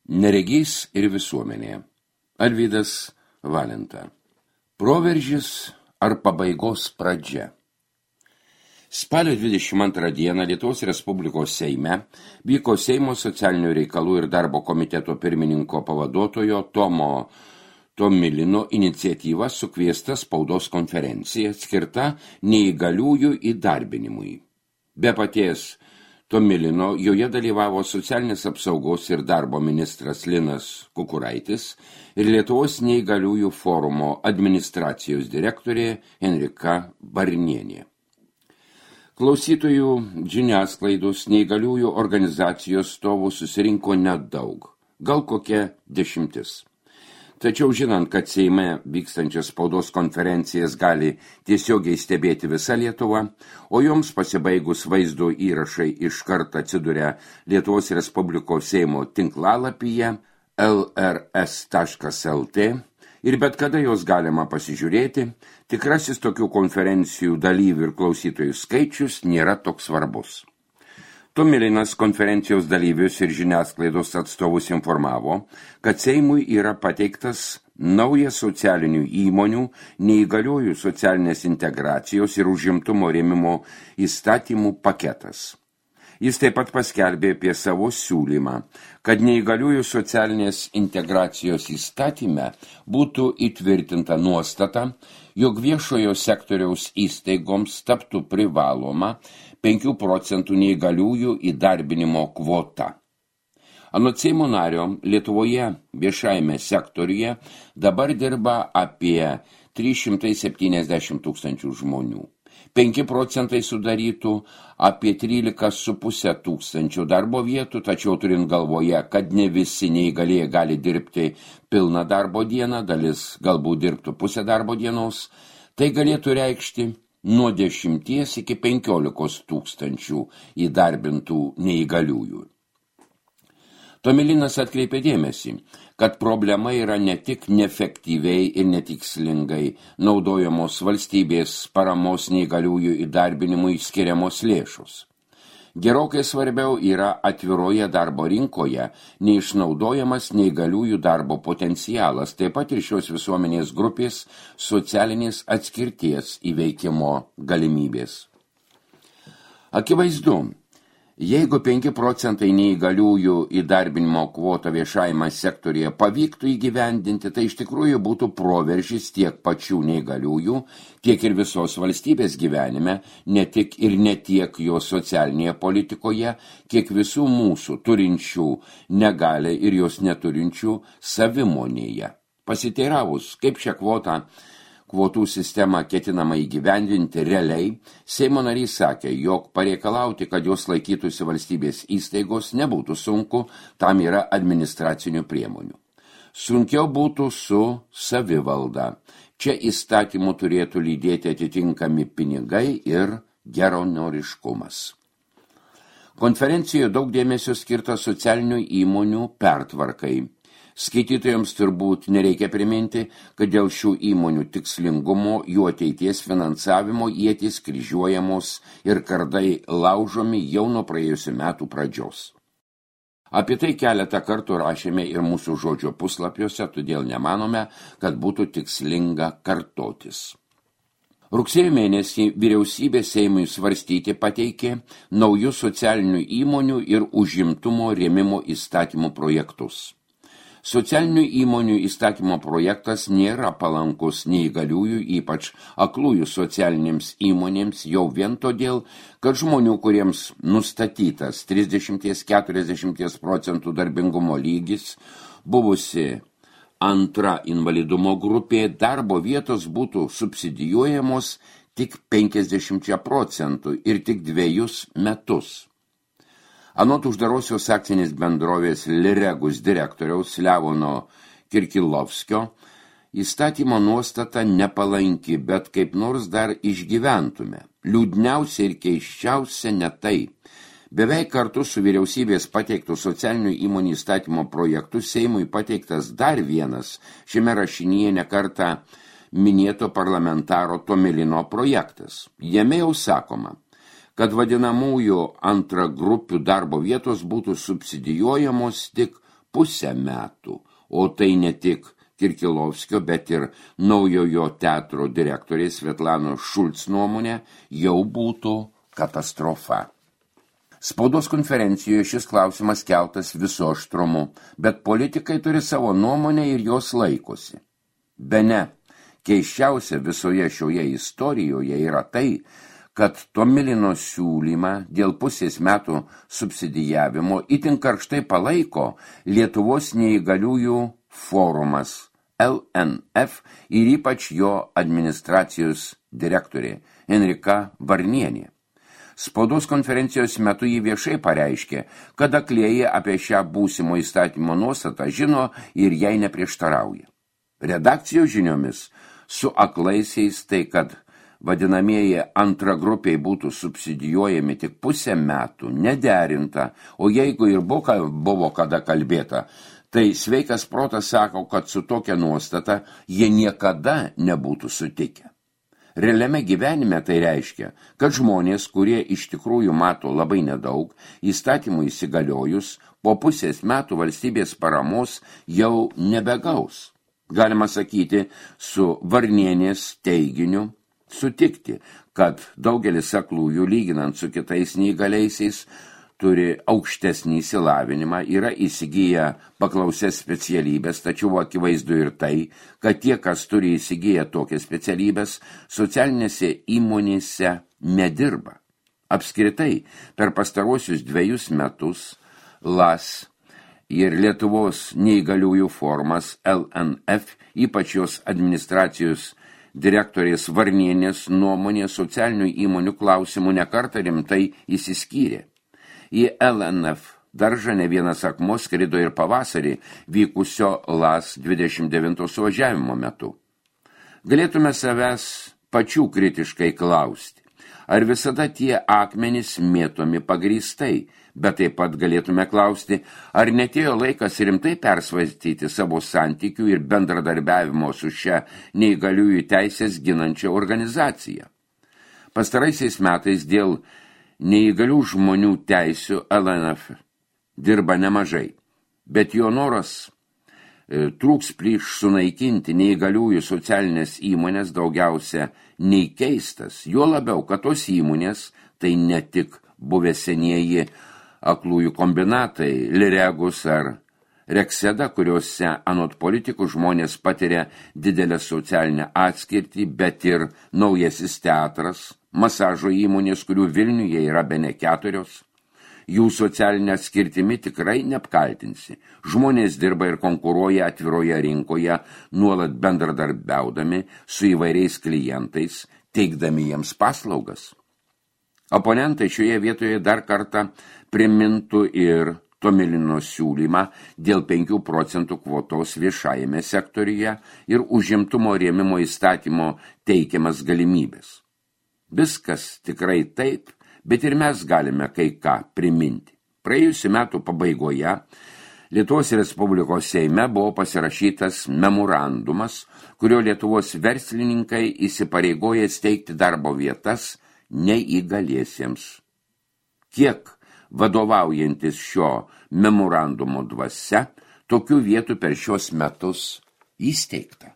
Neregys ir visuomenė. Arvydas Valenta. Proveržis ar pabaigos pradžia. Spalio 22 dieną Lietuvos Respublikos Seime vyko Seimo socialinių reikalų ir darbo komiteto pirmininko pavaduotojo Tomo Tomilino iniciatyva sukviesta spaudos konferencija skirta neįgaliųjų įdarbinimui. Be paties Tomilino joje dalyvavo socialinės apsaugos ir darbo ministras Linas Kukuraitis ir Lietuvos neįgaliųjų forumo administracijos direktorė Henrika Barnienė. Klausytojų žiniasklaidos neįgaliųjų organizacijos stovų susirinko nedaug, gal kokia 10. Tačiau žinant, kad Seime vykstančias spaudos konferencijas gali tiesiogiai stebėti visa Lietuva, o joms pasibaigus vaizdo įrašai iškart atsiduria Lietuvos Respublikos Seimo tinklalapyje lrs.lt ir bet kada jos galima pasižiūrėti, tikrasis tokių konferencijų dalyvių ir klausytojų skaičius nėra toks svarbus. Tomilinas konferencijos dalyvius ir žiniasklaidos atstovus informavo, kad Seimui yra pateiktas naujas socialinių įmonių, neįgaliųjų socialinės integracijos ir užimtumo rėmimo įstatymų paketas. Jis taip pat paskelbė apie savo siūlymą, kad neįgaliųjų socialinės integracijos įstatyme būtų įtvirtinta nuostata, jog viešojo sektoriaus įstaigoms taptų privaloma 5 procentų neįgaliųjų įdarbinimo kvota. Anot Seimo nario, Lietuvoje viešajame sektoriuje dabar dirba apie 370 000 žmonių. 5 procentai sudarytų apie 13,5 tūkstančių darbo vietų, tačiau turint galvoje, kad ne visi neįgalieji gali dirbti pilną darbo dieną, dalis galbūt dirbtų pusę darbo dienos, tai galėtų reikšti nuo 10 iki 15 tūkstančių įdarbintų neįgaliųjų. Tomilinas atkreipė dėmesį, kad problema yra ne tik neefektyviai ir netikslingai naudojamos valstybės paramos neįgaliųjų įdarbinimui skiriamos lėšos. Gerokai svarbiau yra atviroje darbo rinkoje neišnaudojamas neįgaliųjų darbo potencialas, taip pat ir šios visuomenės grupės socialinės atskirties įveikimo galimybės. Akivaizdu, jeigu 5 procentai neįgaliųjų įdarbinimo kvotą viešajame sektorėje pavyktų įgyvendinti, tai iš tikrųjų būtų proveržis tiek pačių neįgaliųjų, tiek ir visos valstybės gyvenime, ne tik ir ne tiek jo socialinėje politikoje, kiek visų mūsų turinčių negalią ir jos neturinčių savimonėje. Pasiteiravus, kaip šią kvotų sistemą ketinama įgyvendinti realiai, Seimo narys sakė, jog pareikalauti, kad jos laikytųsi valstybės įstaigos, nebūtų sunku, tam yra administracinių priemonių. Sunkiau būtų su savivalda. Čia įstatymų turėtų lydėti atitinkami pinigai ir geranoriškumas. Konferencijoje daug dėmesio skirta socialinių įmonių pertvarkai. Skaitytojams turbūt nereikia priminti, kad dėl šių įmonių tikslingumo, jų ateities finansavimo ietys kryžiuojamos ir kardai laužomi jau nuo praėjusių metų pradžios. Apie tai keletą kartų rašėme ir mūsų žodžio puslapiuose, todėl nemanome, kad būtų tikslinga kartotis. Rugsėjo mėnesį vyriausybė Seimui svarstyti pateikė naujus socialinių įmonių ir užimtumo rėmimo įstatymų projektus. Socialinių įmonių įstatymo projektas nėra palankus neįgaliųjų, ypač aklųjų socialinėms įmonėms, jau vien todėl, kad žmonių, kuriems nustatytas 30–40 procentų darbingumo lygis, buvusi antra invalidumo grupė, darbo vietos būtų subsidijuojamos tik 50 procentų ir tik 2 metus. Anot uždarosios akcinės bendrovės Liregus direktoriaus Levono Kirkilovskio, įstatymo nuostata nepalanki, bet kaip nors dar išgyventume. Liūdniausia ir keisčiausia ne tai. Beveik kartu su vyriausybės pateiktų socialinių įmonių įstatymo projektu Seimui pateiktas dar vienas šiame rašinyje nekartą minėto parlamentaro Tomilino projektas. Jame jau sakoma, kad vadinamųjų antragrupių darbo vietos būtų subsidijuojamos tik pusę metų, o tai ne tik Kirkilovskio, bet ir naujojo teatro direktorės Svetlanos Šulc nuomonė, jau būtų katastrofa. Spaudos konferencijoje šis klausimas keltas viso aštrumu, bet politikai turi savo nuomonę ir jos laikosi. Bene, keisčiausia visoje šioje istorijoje yra tai, kad Tomilino siūlymą dėl pusės metų subsidijavimo itin karštai palaiko Lietuvos neįgaliųjų forumas LNF ir ypač jo administracijos direktorė Enrika Varnienė. Spaudos konferencijos metu jį viešai pareiškė, kad aklieji apie šią būsimo įstatymo nuostatą žino ir jai neprieštarauja. Redakcijos žiniomis su aklaisiais tai, kad vadinamieji antragrupiai būtų subsidijuojami tik pusę metų, nederinta, o jeigu ir buvo kada kalbėta, tai sveikas protas sako, kad su tokia nuostata jie niekada nebūtų sutikę. Realiame gyvenime tai reiškia, kad žmonės, kurie iš tikrųjų mato labai nedaug, įstatymų įsigaliojus, po pusės metų valstybės paramos jau nebegaus. Galima sakyti, su Varnienės teiginiu sutikti, kad daugelis aklųjų, lyginant su kitais neįgaliaisiais, turi aukštesnį išsilavinimą, yra įsigiję paklausęs specialybės, tačiau akivaizdu ir tai, kad tie, kas turi įsigiję tokias specialybės, socialinėse įmonėse nedirba. Apskritai, per pastaruosius 2 metus LAS ir Lietuvos neįgaliųjų forumas LNF, ypač jos administracijos direktorės Varnienės nuomonė socialinių įmonių klausimų nekartą rimtai įsiskyrė. Į LNF daržą ne vienas akmuo skrido ir pavasarį vykusio LAS 29 suvažiavimo metu. Galėtume savęs pačių kritiškai klausti, ar visada tie akmenys mėtomi pagrįstai, bet taip pat galėtume klausti, ar netėjo laikas rimtai persvarstyti savo santykių ir bendradarbiavimo su šia neįgaliųjų teisės ginančia organizacija. Pastaraisiais metais dėl neįgalių žmonių teisių LNF dirba nemažai, bet jo noras trūks plyš sunaikinti neįgaliųjų socialinės įmonės daugiausia nei keistas, juo labiau, kad tos įmonės tai ne tik buvę senieji aklųjų kombinatai, Liregus ar Rekseda, kuriuose anot politikų žmonės patiria didelę socialinę atskirtį, bet ir naujasis teatras, masažo įmonės, kurių Vilniuje yra bene 4. Jų socialinę atskirtimi tikrai neapkaltinsi. Žmonės dirba ir konkuruoja atviroje rinkoje, nuolat bendradarbiaudami su įvairiais klientais, teikdami jiems paslaugas. Oponentai šioje vietoje dar kartą primintų ir Tomilino siūlymą dėl 5% kvotos viešajame sektoriuje ir užimtumo rėmimo įstatymo teikiamas galimybės. Viskas tikrai taip, bet ir mes galime kai ką priminti. Praėjusių metų pabaigoje Lietuvos Respublikos Seime buvo pasirašytas memorandumas, kurio Lietuvos verslininkai įsipareigoja steigti darbo vietas neįgaliesiems. Kiek vadovaujantis šio memorandumo dvasia, tokių vietų per šios metus įsteigta.